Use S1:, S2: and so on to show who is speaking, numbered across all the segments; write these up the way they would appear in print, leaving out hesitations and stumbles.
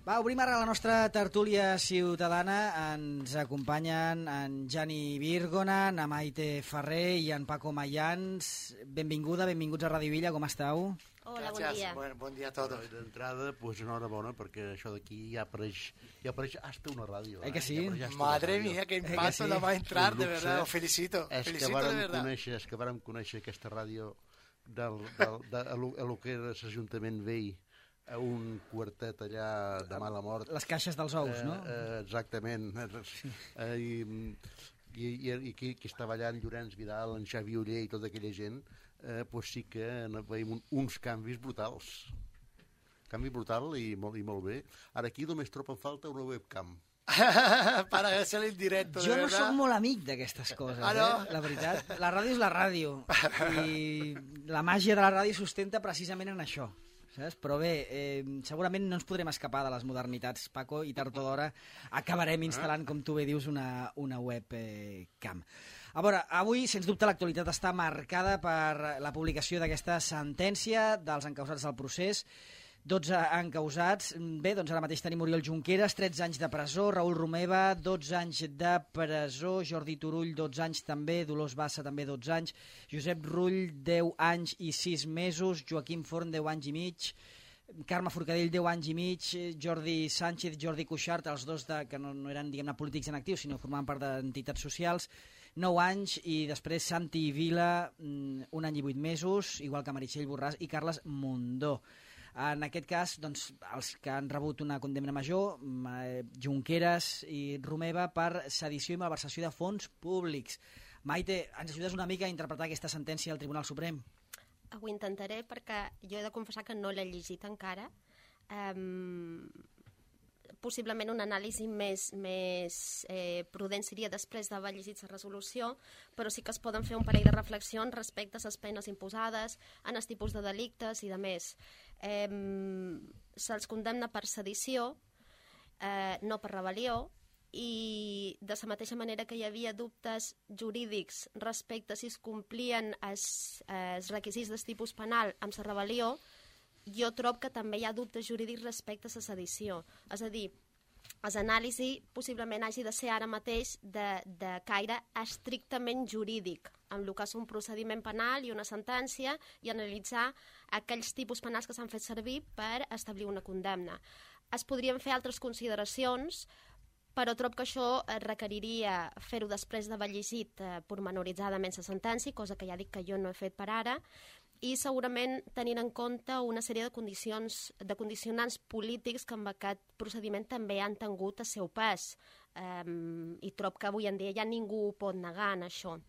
S1: Va, obrim ara la nostra tertúlia ciutadana. Ens acompanyen en Jani Virgona, en Maite Ferrer i en Paco Mayans. Benvinguts a Radio Villa, com esteu?
S2: Hola, bon dia.
S3: Buen día a todos. D'entrada, pues enhorabona, perquè això d'aquí ja apareix hasta una ràdio.
S1: Que sí?
S2: Madre mía, qué impacto la va a entrar, de verdad, os felicito. Felicito de verdad.
S3: És que vàrem conèixer aquesta ràdio a lo que era l'Ajuntament Vell, a un quartet allà de mala mort.
S1: Les caixes dels ous, no?
S3: Exactament. I qui estava allà, en Llorenç Vidal, en Xavi Oller i tota aquella gent, pues sí que veiem uns canvis brutals. Canvi brutal i molt bé. Ara aquí només troba en falta una webcam.
S2: Para hacer el directo,
S1: jo no soc molt amic d'aquestes coses, la veritat. La ràdio és la ràdio i la màgia de la ràdio sustenta precisament en això, saps? Però bé, segurament no ens podrem escapar de les modernitats, Paco, i tard o d'hora acabarem instal·lant, com tu bé dius, una webcam. A veure, avui, sens dubte, l'actualitat està marcada per la publicació d'aquesta sentència dels encausats del procés. 12 encausats. Bé, doncs ara mateix tenim Oriol Junqueras, 13 anys de presó, Raül Romeva, 12 anys de presó, Jordi Turull, 12 anys també, Dolors Bassa també 12 anys, Josep Rull, 10 anys i 6 mesos, Joaquim Forn, 10 anys i mig, Carme Forcadell, 10 anys i mig, Jordi Sánchez, Jordi Cuixart, els dos que no eren, diguem-ne, polítics en actiu, sinó formaven part d'entitats socials, 9 anys, i després Santi Vila, 1 any i 8 mesos, igual que Meritxell Borràs i Carles Mundó. En aquest cas, doncs, els que han rebut una condemna major, Junqueras i Romeva, per sedició i malversació de fons públics. Maite, ens ajudes una mica a interpretar aquesta sentència del Tribunal Suprem?
S4: Ho intentaré perquè jo he de confessar que no l'he llegit encara. Possiblement un anàlisi més prudent seria després d'haver llegit la resolució, però sí que es poden fer un parell de reflexions respecte a les penes imposades, en els tipus de delictes i de més. Se'ls condemna per sedició, no per rebel·lió, i de la mateixa manera que hi havia dubtes jurídics respecte a si es complien els requisits del tipus penal amb la rebel·lió, jo trobo que també hi ha dubtes jurídics respecte a la sedició. És a dir, l'anàlisi possiblement hagi de ser ara mateix de caire estrictament jurídic, amb el que és un procediment penal i una sentència, i analitzar aquells tipus penals que s'han fet servir per establir una condemna. Es podrien fer altres consideracions, però trobo que això requeriria fer-ho després d'haver llegit pormenoritzadament la sentència, cosa que ja dic que jo no he fet per ara, i segurament tenint en compte una sèrie de condicionants polítics que amb aquest procediment també han tingut el seu pes, i trobo que avui en dia ja ningú pot negar en això.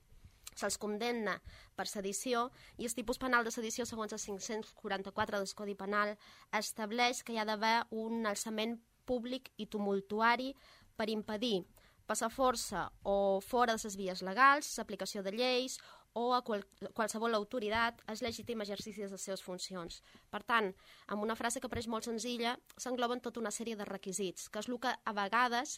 S4: Se'ls condemna per sedició, i el tipus penal de sedició, segons el 544 del Codi Penal, estableix que hi ha d'haver un alçament públic i tumultuari per impedir passar força o fora de les vies legals, l'aplicació de lleis o a qualsevol autoritat el legítim exercici de les seves funcions. Per tant, amb una frase que pareix molt senzilla, s'engloben tota una sèrie de requisits, que és el que a vegades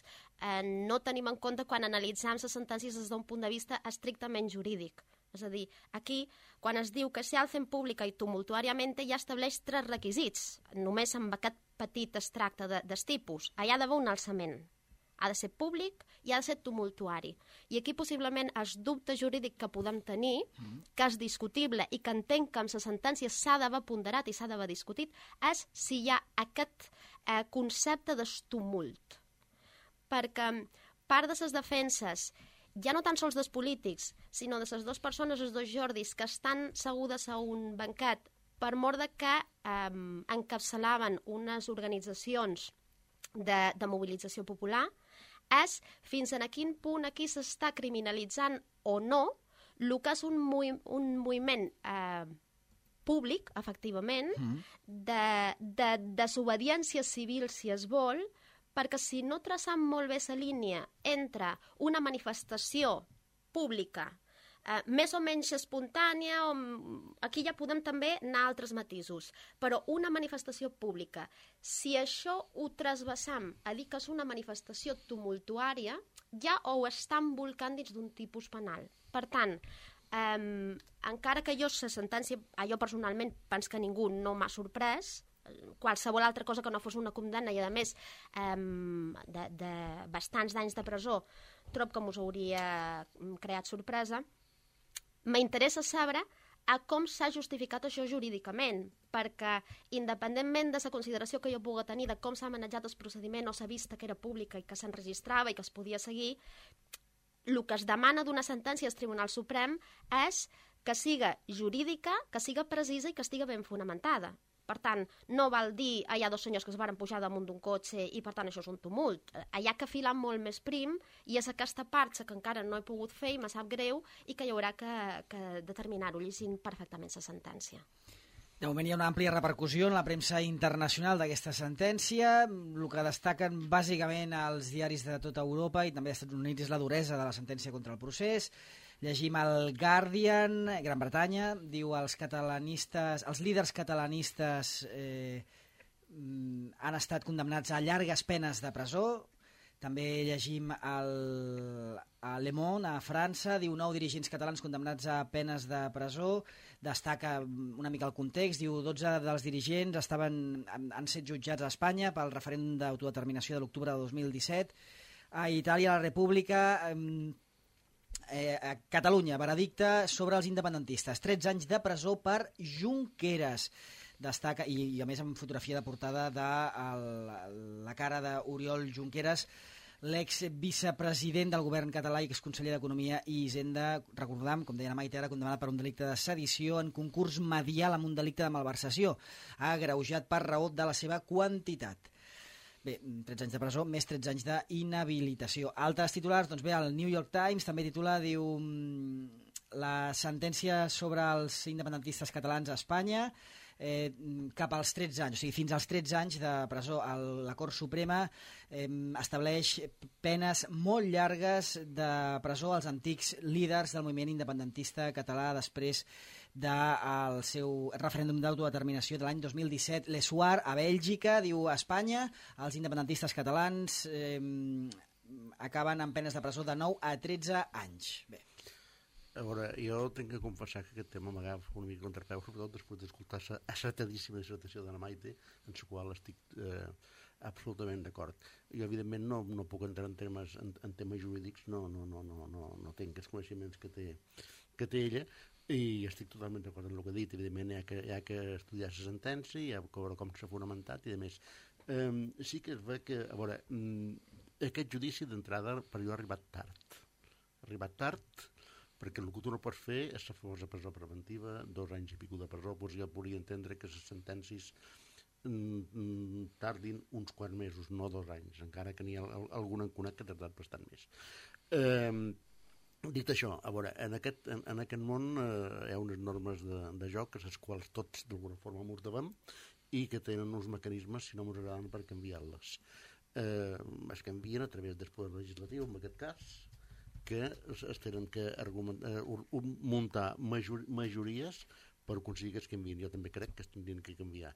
S4: no tenim en compte quan analitzem les sentències des d'un punt de vista estrictament jurídic. És a dir, aquí, quan es diu que se alcen pública i tumultuàriament, ja estableix 3 requisits, només amb aquest petit extracte del tipus. Hi ha d'haver un alçament. Ha de ser públic i ha de ser tumultuari. I aquí possiblement el dubte jurídic que podem tenir, que és discutible i que entenc que amb la sentència s'ha d'haver ponderat i s'ha d'haver discutit, és si hi ha aquest concepte d'estumult. Perquè part de les defenses, ja no tan sols dels polítics, sinó de les dues persones, els dos Jordis, que estan segudes a un banquet per mort de que encapçalaven unes organitzacions de mobilització popular, és fins a quin punt aquí s'està criminalitzant o no el que és un moviment públic, efectivament, de desobediència civil, si es vol, perquè si no traçam molt bé la línia entre una manifestació pública més o menys espontània, aquí ja podem també anar a altres matisos, però una manifestació pública, si això ho trasbassam a dir que és una manifestació tumultuària, ja ho està embolcant dins d'un tipus penal. Per tant, encara que jo la sentència, jo personalment penso que ningú no m'ha sorprès, qualsevol altra cosa que no fos una condemna i, a més, de bastants d'anys de presó, trobo que mos hauria creat sorpresa. M'interessa saber a com s'ha justificat això jurídicament, perquè independentment de la consideració que jo pugui tenir de com s'ha manejat el procediment o s'ha vist que era pública i que s'enregistrava i que es podia seguir, el que es demana d'una sentència del Tribunal Suprem és que siga jurídica, que siga precisa i que estigui ben fonamentada. Per tant, no val dir hi ha dos senyors que es van pujar damunt d'un cotxe i per tant això és un tumult. Hi ha que filar molt més prim i és aquesta part que encara no he pogut fer i me sap greu i que hi haurà que determinar-ho llegint perfectament la sentència.
S1: De moment hi ha una àmplia repercussió en la premsa internacional d'aquesta sentència. El que destaquen bàsicament els diaris de tota Europa i també dels Estats Units és la duresa de la sentència contra el procés. Llegim el Guardian, Gran Bretanya, diu els líders catalanistes han estat condemnats a llargues penes de presó. També llegim a Le Monde, a França, diu 9 dirigents catalans condemnats a penes de presó. Destaca una mica el context, diu 12 dels dirigents han estat jutjats a Espanya pel referèndum d'autodeterminació de l'octubre de 2017. A Itàlia, la República... a Catalunya, veredicte sobre els independentistes, 13 anys de presó per Junqueras. Destaca, i a més amb fotografia de portada de la cara d'Oriol Junqueras, l'ex-vicepresident del govern català i exconseller d'Economia i Hisenda. Recordam, com deia la Maite, era condemnat per un delicte de sedició en concurs medial amb un delicte de malversació, agreujat per raó de la seva quantitat. Bé, 13 anys de presó, més 13 anys d'inhabilitació. Altres titulars, doncs bé, el New York Times també titula, diu, la sentència sobre els independentistes catalans a Espanya, cap als 13 anys, o sigui, fins als 13 anys de presó. La Cort Suprema estableix penes molt llargues de presó als antics líders del moviment independentista català després del seu referèndum d'autodeterminació de l'any 2017. L'Essuar, a Bèlgica, diu a Espanya, els independentistes catalans acaben amb penes de presó de 9 a 13 anys. Bé.
S3: A veure, jo tinc que confessar que aquest tema m'agafa una mica contrapeu, sobretot després d'escoltar la acertadíssima dissertació de la Maite, en la qual estic absolutament d'acord. Jo, evidentment, no puc entrar en temes jurídics, no tinc els coneixements que té ella, i estic totalment d'acord amb el que ha dit. Evidentment, hi ha que estudiar la sentència, hi ha que veure com s'ha fonamentat i, a més, sí que es ve que, a veure, aquest judici d'entrada per jo ha arribat tard, perquè el que tu no pots fer és la famosa presó preventiva, 2 anys i pico de presó. Doncs jo podria entendre que les sentències tardin uns quants mesos, no 2 anys, encara que n'hi ha algun enconat que ha tardat bastant més. Dit això, a veure, en aquest món hi ha unes normes de joc a les quals tots d'alguna forma ens devem i que tenen uns mecanismes, si no ens agraden, per canviar-les. Es canvien a través del poder legislatiu, en aquest cas, que es tenen que muntar majories per aconseguir que es canviïn. Jo també crec que es tindrien que canviar.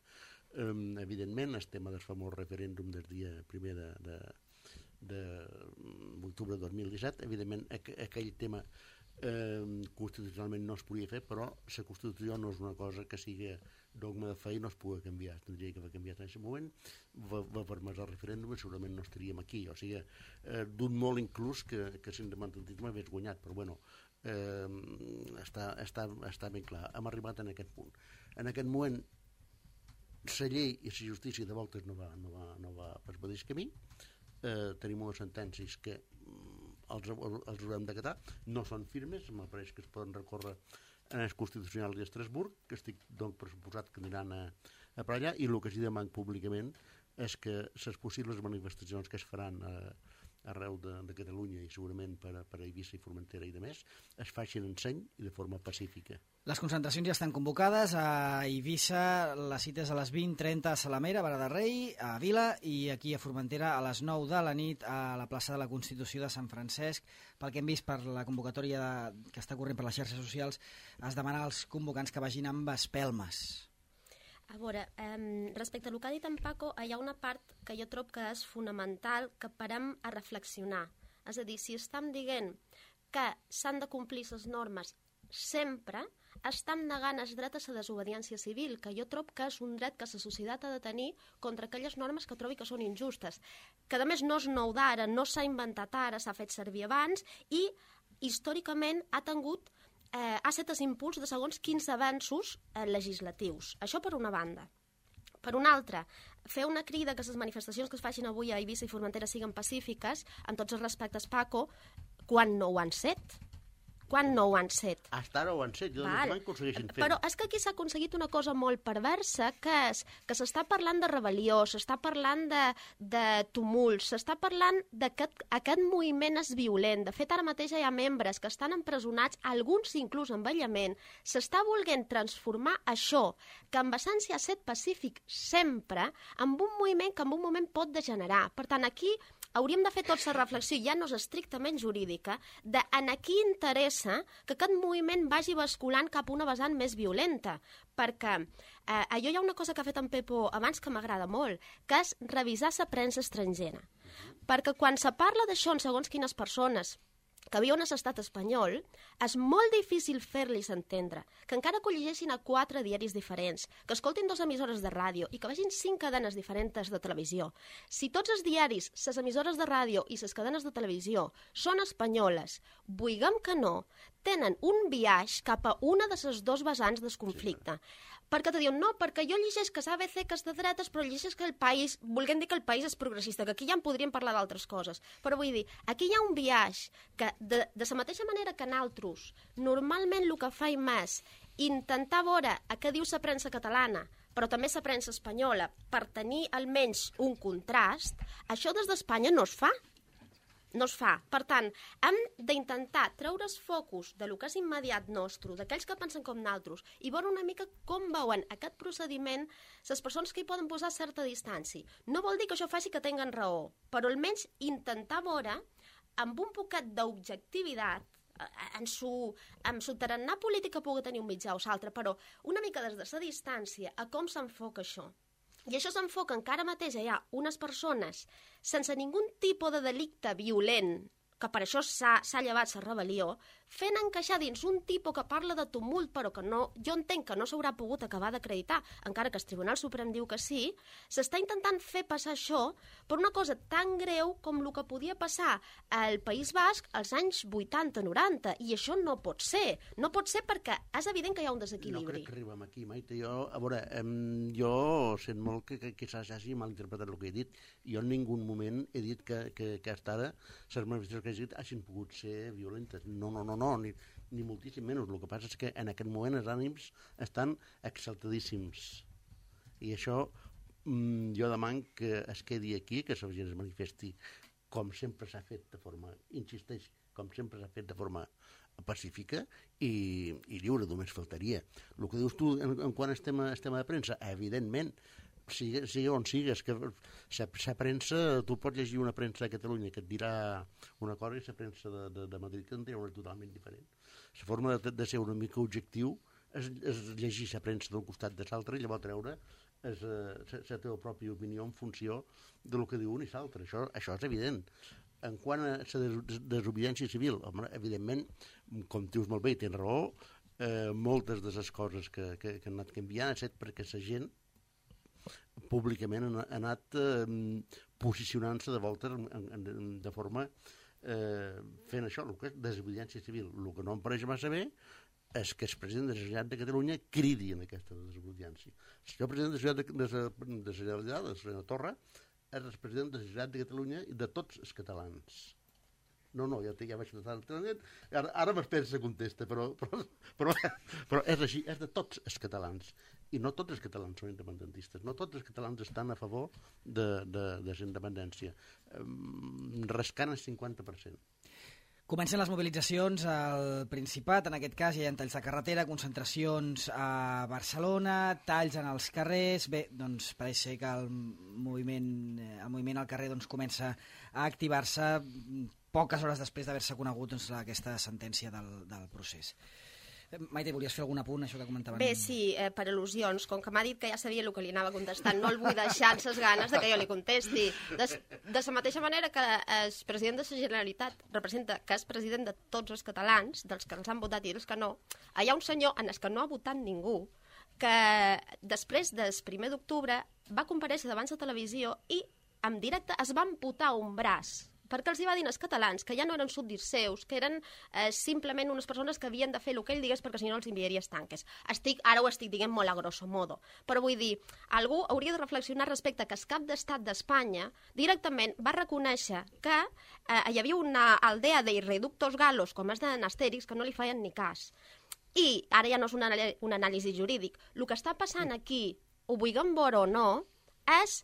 S3: Evidentment, el tema del famós referèndum del dia 1 d'octubre de 2017, evidentment aquell tema constitucionalment no es podia fer, però la Constitució no és una cosa que sigui dogma de fe i no es pugui canviar. Tindria que haver canviat en aquest moment, va permès el referèndum i segurament no estaríem aquí. O sigui, d'un molt inclús que l'independentisme hagués guanyat, però bueno, està ben clar. Hem arribat en aquest punt. En aquest moment, la llei i la justícia de voltes no va per el mateix camí. Tenim unes sentències que els haurem d'acatar, no són firmes, m'apareix que es poden recórrer en el Constitucional d'Estrasburg, que estic doncs pressuposat que aniran a per allà, i el que s'hi demana públicament és que les possibles manifestacions que es faran arreu de Catalunya i segurament per a Eivissa i Formentera i demés, es facin en seny i de forma pacífica.
S1: Les concentracions ja estan convocades a Eivissa, la cita és a les 20:30 a Salamera, a Vara de Rei, a Vila, i aquí a Formentera a les 9 de la nit a la plaça de la Constitució de Sant Francesc. Pel que hem vist per la convocatòria que està corrent per les xarxes socials, es demana als convocants que vagin amb espelmes.
S4: A veure, respecte al que ha dit en Paco, hi ha una part que jo trobo que és fonamental que parem a reflexionar. És a dir, si estem dient que s'han de complir les normes sempre, estan negant el dret a la desobediència civil, que jo trobo que és un dret que la societat ha de tenir contra aquelles normes que trobi que són injustes, que a més no és nou d'ara, no s'ha inventat ara, s'ha fet servir abans i històricament ha set el impuls de segons quins avanços legislatius. Això per una banda. Per una altra, fer una crida que les manifestacions que es facin avui a Eivissa i Formentera siguin pacífiques, amb tots els respectes, Paco, quan no ho han set? Quan no ho han set?
S3: Hasta ara ho han set, jo no aconsegueixin fer.
S4: Però és que aquí s'ha aconseguit una cosa molt perversa, que és que s'està parlant de rebel·lió, s'està parlant de tumults, s'està parlant que aquest moviment és violent. De fet, ara mateix hi ha membres que estan empresonats, alguns inclús amb aïllament. S'està volent transformar això, que en essència ha set pacífic sempre, en un moviment que en un moment pot degenerar. Per tant, aquí hauríem de fer tota la reflexió, ja no és estrictament jurídica, de en a qui interessa que aquest moviment vagi basculant cap a una vessant més violenta. Perquè allò hi ha una cosa que ha fet en Pepo abans que m'agrada molt, que és revisar la premsa estrangera. Perquè quan se parla d'això en segons quines persones que viuen a l'estat espanyol, és molt difícil fer-los entendre que encara que ho llegeixin a 4 diaris diferents, que escoltin 2 emissores de ràdio i que vegin 5 cadenes diferents de televisió. Si tots els diaris, les emissores de ràdio i les cadenes de televisió són espanyoles, vulguem que no, tenen un biaix cap a una de les 2 vessants del conflicte. Perquè te diuen, no, perquè jo llegeix que l'ABC que és de dretes, però llegeix que el país, volguem dir que el país és progressista, que aquí ja en podríem parlar d'altres coses. Però vull dir, aquí hi ha un biaix que, de la mateixa manera que nosaltres, normalment el que faim és intentar veure a què diu la premsa catalana, però també la premsa espanyola, per tenir almenys un contrast, això des d'Espanya no es fa. No es fa. Per tant, hem d'intentar treure el focus de lo que és immediat nostre, d'aquells que pensen com nosaltres, i veure una mica com veuen aquest procediment les persones que hi poden posar certa distància. No vol dir que això faci que tinguen raó, però almenys intentar veure amb un poquet d'objectivitat en su tarannà política pugui tenir un mitjà o l'altre, però una mica des de la distància a com s'enfoca això. I això s'enfoca en que ara mateix hi ha unes persones sense ningun tipus de delicte violent, que per això s'ha llevat la rebel·lió, fent encaixar dins un tipus que parla de tumult, però que no, jo entenc que no s'haurà pogut acabar d'acreditar, encara que el Tribunal Suprem diu que sí, s'està intentant fer passar això per una cosa tan greu com el que podia passar al País Basc als anys 80-90, i això no pot ser. No pot ser perquè és evident que hi ha un desequilibri.
S3: No crec que arribem aquí, Maite. A veure, jo sent molt que s'hagi malinterpretat el que he dit. Jo en ningú moment he dit que hasta ara les manifestacions que he dit hagin pogut ser violentes. No, ni moltíssim menys. El que passa és que en aquest moment els ànims estan exaltadíssims. I això jo demano que es quedi aquí, que la gent es manifesti com sempre s'ha fet de forma, insisteix, com sempre s'ha fet de forma pacífica i lliure, només faltaria. El que dius tu en quant al tema de premsa, evidentment, sigui on sigues, que la premsa, tu pots llegir una premsa de Catalunya que et dirà una cosa i la premsa de Madrid que en dirà una totalment diferent. La forma de ser una mica objectiu és llegir la premsa d'un costat de l'altre i llavors treure la teva pròpia opinió en funció del que diu un i l'altre. Això és evident. En quant a la desobediència civil, home, evidentment, com dius molt bé i tens raó, moltes de les coses que han anat canviant ha estat perquè la gent públicament ha anat posicionant-se de volta de forma fent això, el que és desobediència civil. El que no em pareix massa bé és que el president de la Generalitat de Catalunya cridi en aquesta desobediència. El senyor president de la Generalitat, el senyor Torra, és el president de la Generalitat de Catalunya i de tots els catalans. No, ja vaig notar el trenet. Ara m'espera la contesta, però és així, és de tots els catalans. I no tots els catalans són independentistes, no tots els catalans estan a favor de la independència. Rascant el 50%.
S1: Comencen les mobilitzacions al Principat, en aquest cas hi ha talls de carretera, concentracions a Barcelona, talls en els carrers. Bé, doncs pareix ser que el moviment al carrer comença a activar-se poques hores després d'haver-se conegut aquesta sentència del procés. Maite, volies fer algun apunt, això que comentaven?
S4: Bé, sí, per al·lusions, com que m'ha dit que ja sabia el que li anava contestant, no el vull deixar amb les ganes de que jo li contesti. De la mateixa manera que el president de la Generalitat representa que és president de tots els catalans, dels que els han votat i dels que no, hi ha un senyor en el que no ha votat ningú, que després del 1 d'octubre va comparèixer davant la televisió i en directe es va amputar un braç, perquè els hi va dir als catalans que ja no eren súbdits seus, que eren simplement unes persones que havien de fer el que ell digués perquè si no els enviaria tanques. Ara ho estic dient molt a grosso modo, però vull dir, algú hauria de reflexionar respecte que el cap d'estat d'Espanya directament va reconèixer que hi havia una aldea de irreductos galos, com és d'en Astèrix, que no li feien ni cas. I ara ja no és un anàlisi jurídic. El que està passant aquí, ho vulguem veure o no, és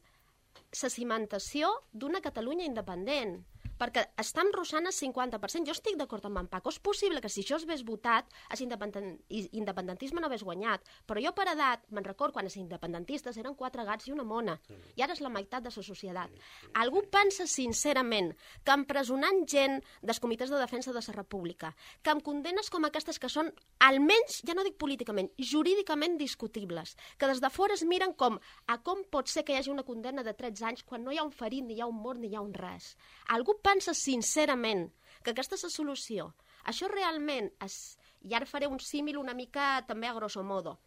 S4: la cimentació d'una Catalunya independent, perquè estan rossant el 50%. Jo estic d'acord amb en Paco. És possible que si això hagués votat, l'independentisme no hagués guanyat, però jo per edat me'n recordo quan els independentistes eren 4 gats i una mona, i ara és la meitat de la societat. Algú pensa sincerament que empresonant gent dels comitès de defensa de la República, que amb condenes com aquestes que són, almenys, ja no dic políticament, jurídicament discutibles, que des de fora es miren com pot ser que hi hagi una condemna de 13 anys quan no hi ha un ferit, ni hi ha un mort, ni hi ha un res. Algú pensa sincerament que aquesta és la solució? Això realment és... I ara faré un símil una mica també a grosso modo.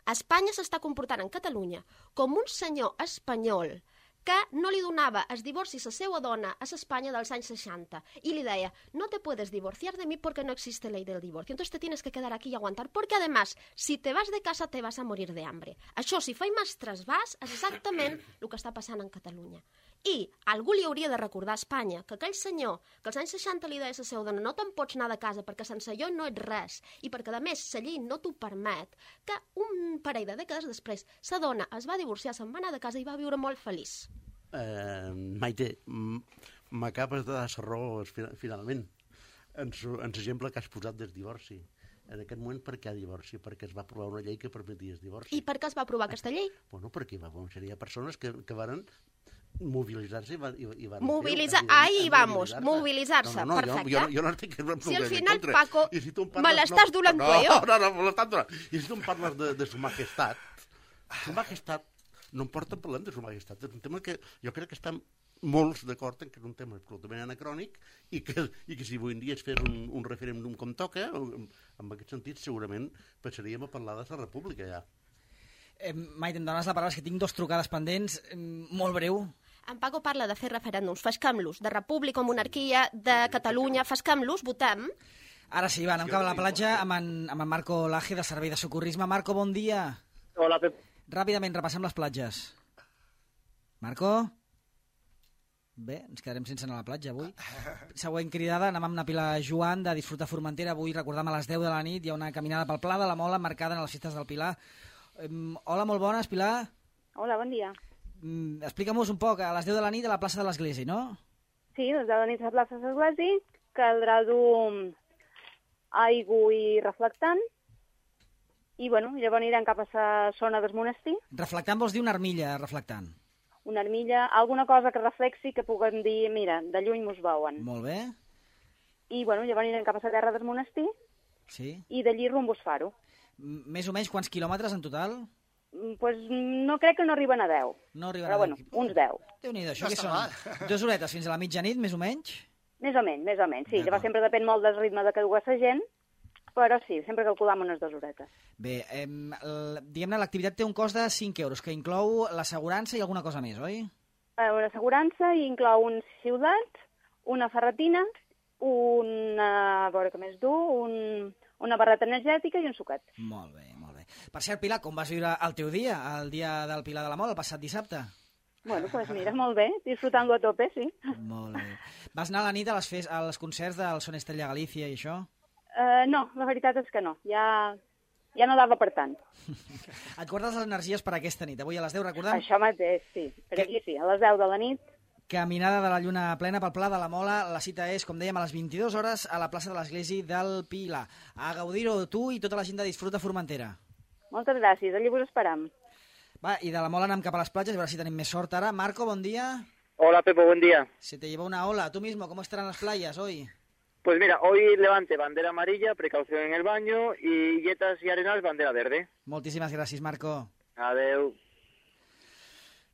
S4: Espanya s'està comportant en Catalunya com un senyor espanyol que no li donava el divorci a la seva dona a l'Espanya dels anys 60 i li deia, no te puedes divorciar de mí porque no existe ley del divorcio, entonces te tienes que quedar aquí y aguantar, porque además, si te vas de casa te vas a morir de hambre. Això, si fa més trasbàs, és exactament el que està passant en Catalunya. I algú li hauria de recordar a Espanya que aquell senyor que als anys 60 li deia a la seva dona no te'n pots anar de casa perquè sense jo no ets res i perquè a més la llei no t'ho permet, que un parell de dècades després la dona es va divorciar, se'n va anar de casa i va viure molt feliç.
S3: Maite, m'acabes de dar la raó finalment en l'exemple que has posat del divorci. En aquest moment, per què divorci? Perquè es va aprovar una llei que permetia el divorci.
S4: I per què es va aprovar aquesta llei?
S3: Bueno, perquè hi va haver una sèrie de persones que van mobilitzar-se i van...
S4: Ahí vamos, mobilitzar-se, perfecte.
S3: Jo no estic...
S4: Si al final, Paco, me l'estàs donant tu, jo?
S3: No, me l'estàs donant. I si tu em parles de su majestat, no em porta parlant de su majestat. És un tema que jo crec que estan molts d'acord en que és un tema absolutament anacrònic i que si avui en dia es fes un referèndum com toca, en aquest sentit segurament passaríem a parlar de la república ja.
S1: Maite, em dones la paraula, és que tinc 2 trucades pendents, molt breu.
S4: En Paco parla de fer referèndums, fesquem-los, de república o monarquia, de Catalunya, fesquem-los, votem.
S1: Ara sí, va, anem cap a la platja amb en Marco Laje, de Servei de Socorrisme. Marco, bon dia.
S5: Hola, Pep.
S1: Ràpidament, repassem les platges. Marco? Bé, ens quedarem sense anar a la platja avui. Següent cridada, anem amb na Pilar Joan de Disfruta Formentera. Avui, recordem, a les 10 de la nit hi ha una caminada pel Pla de la Mola marcada en les festes del Pilar. Hola, molt bones, Pilar.
S6: Hola, bon dia.
S1: Explica'm-nos un poc, a les 10 de la nit a la plaça de l'Església, no?
S6: Sí, a les 10 de la nit a la plaça de l'Església caldrà dur aigua i reflectant i, bueno, llavors anirem cap a la zona del monestir.
S1: Reflectant vols dir una armilla, reflectant?
S6: Una armilla, alguna cosa que reflexi que puguem dir, mira, de lluny mos veuen.
S1: Molt bé.
S6: I, bueno, llavors anirem cap a la terra del monestir i d'allí rumb a Faro.
S1: Més o menys quants quilòmetres en total?
S6: Pues no crec que no arriben a 10.
S1: No arriben
S6: però, bueno, uns 10.
S1: Déu-n'hi-do, això que són 2 horetes fins a la mitjanit, més o menys?
S6: Més o menys, sí. Llavors sempre depèn molt del ritme de que dues la gent, però sí, sempre calculam unes 2 horetes.
S1: Bé, diguem-ne, l'activitat té un cost de 5 euros, que inclou l'assegurança i alguna cosa més, oi?
S6: Una assegurança i inclou un ciutat, una ferretina, a veure què més du, una barreta energètica i un suquet.
S1: Molt bé, molt bé. Per cert, Pilar, com vas viure el teu dia, el dia del Pilar de la Mola, el passat dissabte?
S6: Bueno, pues mira, molt bé, disfrutant-lo a tope, sí.
S1: Molt bé. Vas anar a la nit als concerts del Son Estrella Galícia i això?
S6: No, la veritat és que no, ja no dava per tant.
S1: Et guardes les energies per aquesta nit, avui a les 10, recordem?
S6: Això mateix, sí, per aquí sí, a les 10 de la nit.
S1: Caminada de la lluna plena pel Pla de la Mola, la cita és, com dèiem, a les 22 hores a la plaça de l'Església del Pilar. A gaudir-ho tu i tota la gent de Disfruta Formentera.
S6: Moltes gràcies, allí vos esperam.
S1: Va, i de la Mola anem cap a les platges, a veure si tenim més sort ara. Marco, bon dia.
S5: Hola, Pepo, buen día.
S1: Se te lleva una ola. Tú mismo, ¿cómo estarán las playas hoy?
S5: Pues mira, hoy Levante, bandera amarilla, precaución en el baño, y Illetas y Arenal, bandera verde.
S1: Moltíssimes gràcies, Marco.
S5: Adeu.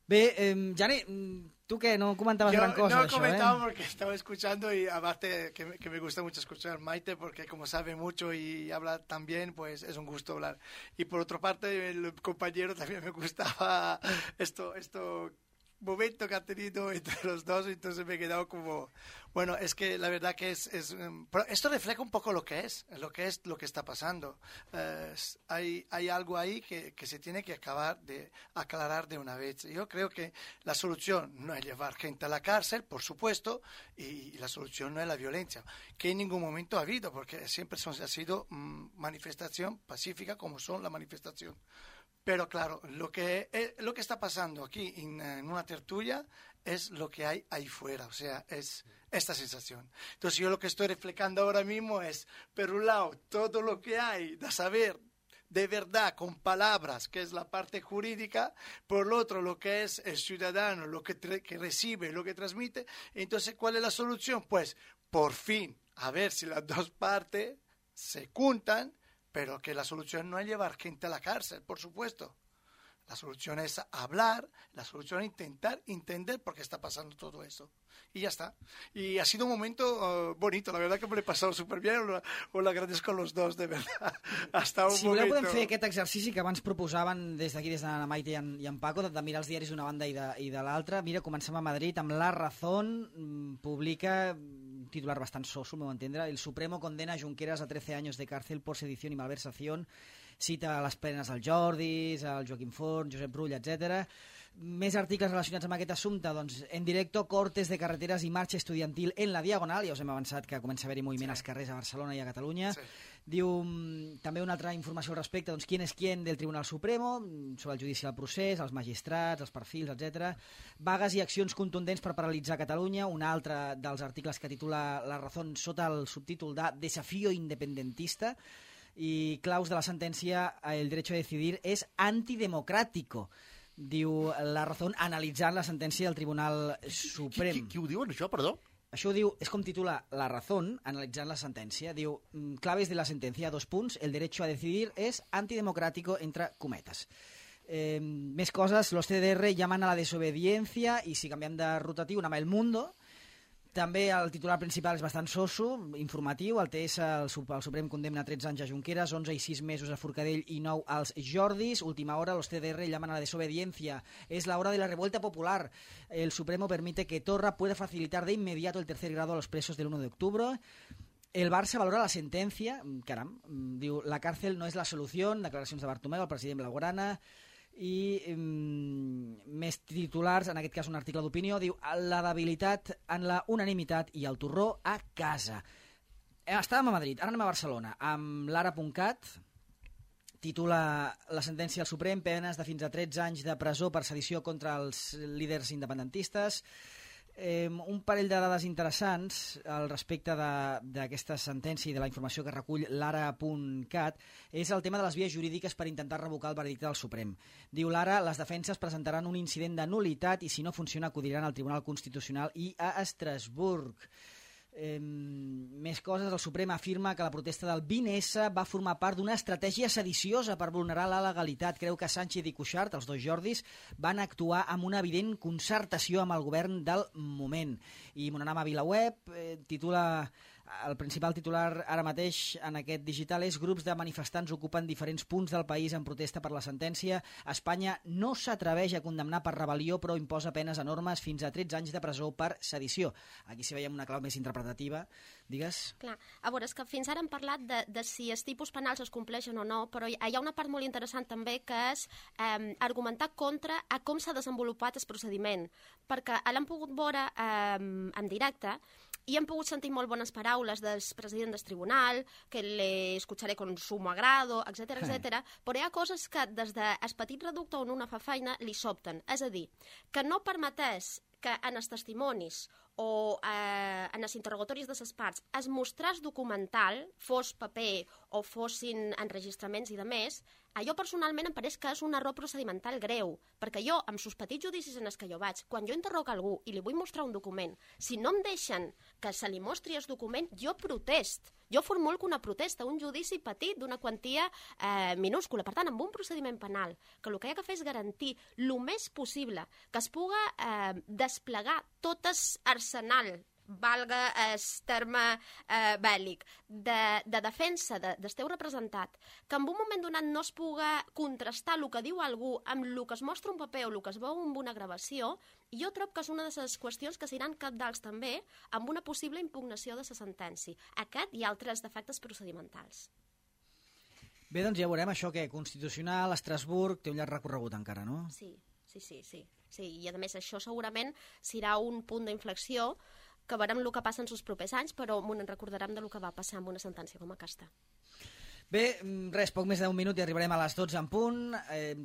S1: Bé, Jani, ¿tú qué? ¿No comentabas gran cosa
S2: no
S1: de eso,
S2: comentaba porque estaba escuchando y aparte que me gusta mucho escuchar a Maite porque como sabe mucho y habla tan bien, pues es un gusto hablar. Y por otra parte, el compañero también me gustaba esto momento que ha tenido entre los dos, entonces me he quedado como... Bueno, es que la verdad que pero esto refleja un poco lo que está pasando. Hay algo ahí que se tiene que aclarar de una vez. Yo creo que la solución no es llevar gente a la cárcel, por supuesto, y la solución no es la violencia, que en ningún momento ha habido, porque siempre ha sido manifestación pacífica como son la manifestación. Pero claro, lo que está pasando aquí en una tertulia es lo que hay ahí fuera, o sea, es esta sensación. Entonces yo lo que estoy reflejando ahora mismo es, por un lado, todo lo que hay de saber de verdad con palabras, que es la parte jurídica, por lo otro lo que es el ciudadano, lo que recibe, lo que transmite. Entonces, ¿cuál es la solución? Pues, por fin, a ver si las dos partes se juntan, pero que la solución no es llevar gente a la cárcel, por supuesto. La solución es hablar, la solución es intentar entender por qué está pasando todo eso. Y ya está. Y ha sido un momento bonito, la verdad que me l'he passat superbien, ho l'agradezco a los dos, de verdad. Hasta un
S1: si
S2: momento...
S1: voleu podem fer aquest exercici que abans proposaven des d'aquí, des de la Maite i en Paco, de mirar els diaris d'una banda i de l'altra. Mira, comencem a Madrid amb La Razón, publica un titular bastant soso, al meu entendre: el Supremo condena a Junqueras a 13 años de cárcel por sedición y malversación. Cita a les plenes al Jordis, al Joaquim Forn, Josep Rull, etc. Més articles relacionats amb aquest assumpte, doncs, en directo, cortes de carreteres i marxa estudiantil en la Diagonal. Ja us hem avançat que comença a haver-hi moviment als carrers a Barcelona i a Catalunya. Sí. Diu també una altra informació al respecte, doncs, quién és quién del Tribunal Supremo, sobre el judici del procés, els magistrats, els perfils, etc. Vagues i accions contundents per paralitzar Catalunya, un altre dels articles que titula La Razón sota el subtítol de Desafío independentista. I claus de la sentència, el derecho a decidir és antidemocràtico, diu La Razón, analitzant la sentència del Tribunal Suprem.
S3: Qui ho diuen, això, perdó?
S1: Això ho diu, és com titula La Razón, analitzant la sentència. Diu, claves de la sentència, 2 punts, el derecho a decidir és antidemocrático, entre cometes. Més coses, los CDR llaman a la desobediencia, i si canviem de rotatiu, anem a El Mundo. També el titular principal és bastant soso, informatiu. El TS, el Suprem, condemna 13 anys a Junqueras, 11 i 6 mesos a Forcadell i 9 als Jordis. Última hora, los CDR llaman a la desobediencia. Es la hora de la revuelta popular. El Supremo permite que Torra pueda facilitar de inmediato el tercer grado a los presos del 1 de octubre. El Barça valora la sentència. Caram, diu, la cárcel no és la solució. Declaracions de Bartomeu, el president Blaugrana. I més titulars, en aquest cas un article d'opinió, diu la debilitat en la unanimitat i el torró a casa. Estàvem a Madrid, ara anem a Barcelona, amb l'ara.cat, titula la sentència del Suprem, penes de fins a 13 anys de presó per sedició contra els líders independentistes. Un parell de dades interessants al respecte d'aquesta sentència i de la informació que recull l'ara.cat és el tema de les vies jurídiques per intentar revocar el veredicte del Suprem. Diu l'Ara, les defenses presentaran un incident de nul·litat i si no funciona acudiran al Tribunal Constitucional i a Estrasburg. Més coses, el Suprem afirma que la protesta del 20S va formar part d'una estratègia sediciosa per vulnerar la legalitat. Creu que Sánchez i Cuixart, els dos Jordis, van actuar amb una evident concertació amb el govern del moment. I Mononama VilaWeb titula... El principal titular ara mateix en aquest digital és: grups de manifestants ocupen diferents punts del país en protesta per la sentència. Espanya no s'atreveix a condemnar per rebel·lió, però imposa penes enormes fins a 13 anys de presó per sedició. Aquí si veiem una clau més interpretativa. Digues?
S4: Clar, a veure, és que fins ara hem parlat de si els tipus penals es compleixen o no, però hi ha una part molt interessant també que és argumentar contra a com s'ha desenvolupat el procediment, perquè l'hem pogut veure en directe i hem pogut sentir molt bones paraules del president del tribunal, que l'escucharé con sumo agrado, etc etc. Però hi ha coses que des del petit reducte on una fa feina li sobten. És a dir, que no permetés que en els testimonis o en els interrogatoris de les parts es mostràs documental, fos paper o fossin enregistraments i de més, allò personalment em pareix que és un error procedimental greu, perquè jo, amb sos petits judicis en els que jo vaig, quan jo interrogo algú i li vull mostrar un document, si no em deixen que se li mostri el document, jo protest. Jo formulco una protesta, un judici petit d'una quantia minúscula. Per tant, amb un procediment penal, que el que hi ha que fer és garantir el més possible que es puga desplegar tot l'arsenal, valga el terme bèl·lic, de defensa del teu representat, que en un moment donat no es puga contrastar el que diu algú amb el que es mostra un paper o el que es veu amb una gravació, jo trobo que és una de les qüestions que seran cabdals també amb una possible impugnació de la sentència. Aquest i altres defectes procedimentals.
S1: Bé, doncs ja veurem això que Constitucional, Estrasburg, té un llarg recorregut encara, no?
S4: Sí. I a més això segurament serà un punt d'inflexió que veurem el que passa en els propers anys, però ens recordarem del que va passar amb una sentència com aquesta.
S1: Bé, res, poc més d'un minut i arribarem a les 12 en punt.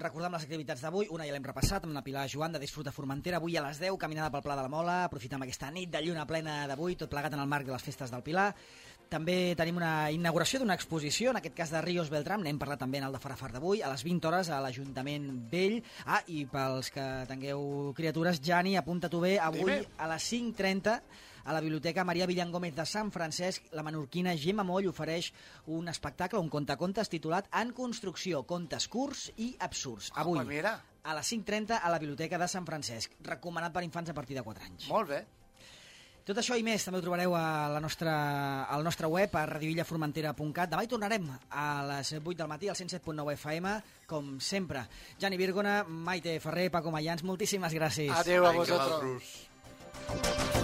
S1: Recordem les activitats d'avui. Una ja l'hem repassat amb la Pilar Joan de Disfruta Formentera. Avui a les 10, caminada pel Pla de la Mola. Aprofitem aquesta nit de lluna plena d'avui, tot plegat en el marc de les festes del Pilar. També tenim una inauguració d'una exposició, en aquest cas de Ríos Beltrán, n'hem parlat també en el de Farafar d'avui, a les 20 hores a l'Ajuntament Vell. I pels que tingueu criatures, Jani, apunta-t'ho bé, avui a les 5:30 a la Biblioteca Maria Villangómez de Sant Francesc, la menorquina Gemma Moll ofereix un espectacle, un contacontes titulat En construcció, contes curts i absurds. Avui, a les 5:30 a la Biblioteca de Sant Francesc, recomanat per infants a partir de 4 anys.
S2: Molt bé.
S1: Tot això i més també ho trobareu al nostre web, a radioillaformentera.cat. Demà hi tornarem a les 8 del matí al 107.9 FM, com sempre. Jani Virgona, Maite Ferrer, Paco Mayans, moltíssimes gràcies.
S2: Adéu a vosaltres.